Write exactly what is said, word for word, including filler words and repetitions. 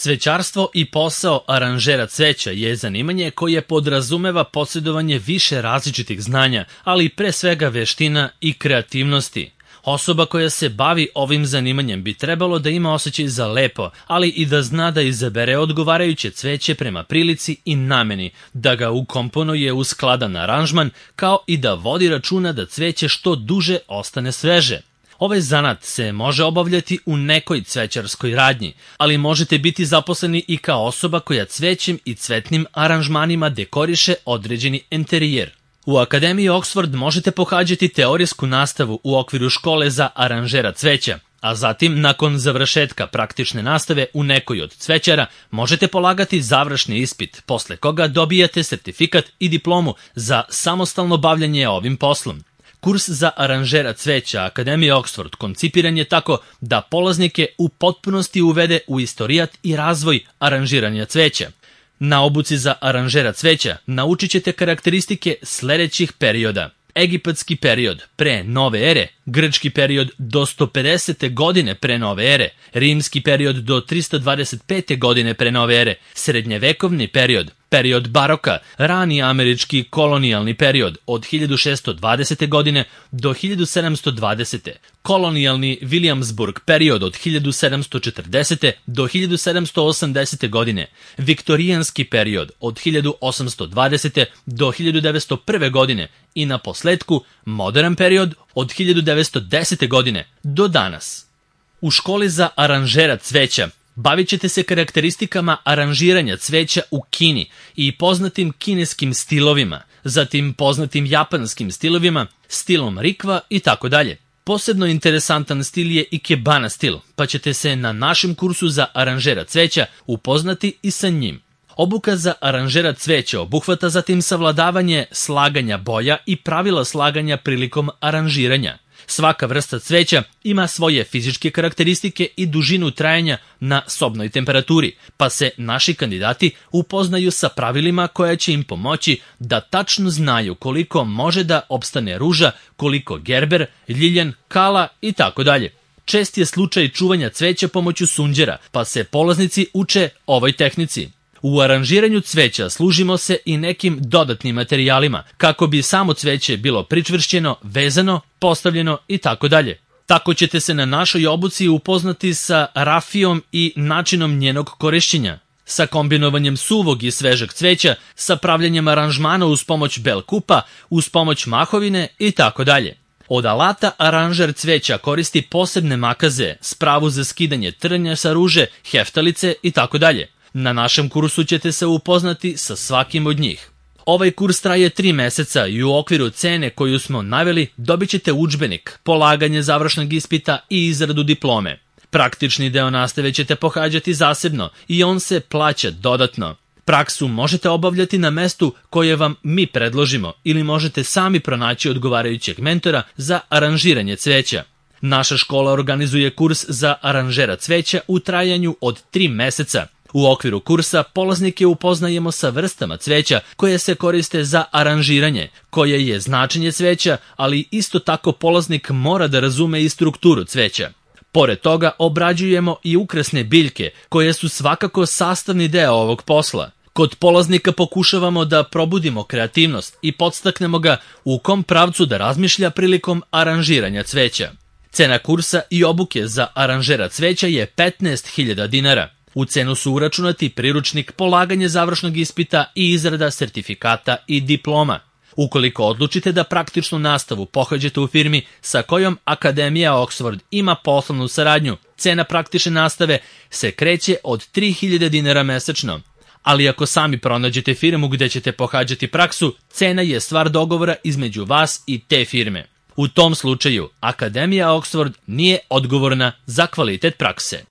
Cvećarstvo i posao aranžera cveća je zanimanje koje podrazumeva posjedovanje više različitih znanja, ali pre svega veština i kreativnosti. Osoba koja se bavi ovim zanimanjem bi trebalo da ima osjećaj za lepo, ali i da zna da izabere odgovarajuće cveće prema prilici i nameni, da ga ukomponuje u skladan aranžman, kao i da vodi računa da cveće što duže ostane sveže. Ovaj zanat se može obavljati u nekoj cvećarskoj radnji, ali možete biti zaposleni i kao osoba koja cvećem i cvetnim aranžmanima dekoriše određeni enterijer. U Akademiji Oxford možete pohađati teorijsku nastavu u okviru škole za aranžera cveća, a zatim, nakon završetka praktične nastave u nekoj od cvećara, možete polagati završni ispit, posle koga dobijate sertifikat i diplomu za samostalno bavljanje ovim poslom. Kurs za aranžera cveća Akademije Oxford koncipiran je tako da polaznike u potpunosti uvede u istorijat i razvoj aranžiranja cveća. Na obuci za aranžera cveća naučit ćete karakteristike sledećih perioda: egipatski period pre nove ere, grčki period do sto pedesete godine pre nove ere, rimski period do tristo dvadeset pete godine pre nove ere, srednjevekovni period, period baroka, rani američki kolonijalni period od hiljadu šessto dvadesete godine do hiljadu sedamsto dvadesete, kolonijalni Williamsburg period od hiljadu sedamsto četrdesete do hiljadu sedamsto osamdesete godine, viktorijanski period od hiljadu osamsto dvadesete do hiljadu devetsto prve godine i na posledku modern period od hiljadu devetsto desete godine do danas. U školi za aranžera cveća bavit ćete se karakteristikama aranžiranja cveća u Kini i poznatim kineskim stilovima, zatim poznatim japanskim stilovima, stilom rikva i tako dalje. Posebno interesantan stil je ikebana stil, pa ćete se na našem kursu za aranžera cveća upoznati i sa njim. Obuka za aranžera cveća obuhvata zatim savladavanje slaganja boja i pravila slaganja prilikom aranžiranja. Svaka vrsta cveća ima svoje fizičke karakteristike i dužinu trajanja na sobnoj temperaturi, pa se naši kandidati upoznaju sa pravilima koja će im pomoći da tačno znaju koliko može da opstane ruža, koliko gerber, ljiljan, kala i tako dalje. Čest je slučaj čuvanja cveća pomoću sunđera, pa se polaznici uče ovoj tehnici. U aranžiranju cveća služimo se i nekim dodatnim materijalima, kako bi samo cveće bilo pričvršćeno, vezano, postavljeno i tako dalje. Tako ćete se na našoj obuci upoznati sa rafijom i načinom njenog korišćenja, sa kombinovanjem suvog i svežeg cveća, sa pravljanjem aranžmana uz pomoć bel kupa, uz pomoć mahovine i tako dalje. Od alata aranžer cveća koristi posebne makaze, spravu za skidanje trnja sa ruže, heftalice i tako dalje. Na našem kursu ćete se upoznati sa svakim od njih. Ovaj kurs traje tri meseca i u okviru cene koju smo naveli dobit ćete udžbenik, polaganje završnog ispita i izradu diplome. Praktični deo nastave ćete pohađati zasebno i on se plaća dodatno. Praksu možete obavljati na mestu koje vam mi predložimo ili možete sami pronaći odgovarajućeg mentora za aranžiranje cveća. Naša škola organizuje kurs za aranžera cveća u trajanju od tri meseca. U okviru kursa polaznike upoznajemo sa vrstama cveća koje se koriste za aranžiranje, koje je značenje cveća, ali isto tako polaznik mora da razume i strukturu cveća. Pored toga obrađujemo i ukrasne biljke, koje su svakako sastavni deo ovog posla. Kod polaznika pokušavamo da probudimo kreativnost i podstaknemo ga u kom pravcu da razmišlja prilikom aranžiranja cveća. Cena kursa i obuke za aranžera cveća je petnaest hiljada dinara. U cenu su uračunati priručnik, polaganje završnog ispita i izrada sertifikata i diploma. Ukoliko odlučite da praktičnu nastavu pohađate u firmi sa kojom Akademija Oxford ima poslovnu saradnju, cena praktične nastave se kreće od tri hiljade dinara mesečno. Ali ako sami pronađete firmu gde ćete pohađati praksu, cena je stvar dogovora između vas i te firme. U tom slučaju, Akademija Oxford nije odgovorna za kvalitet prakse.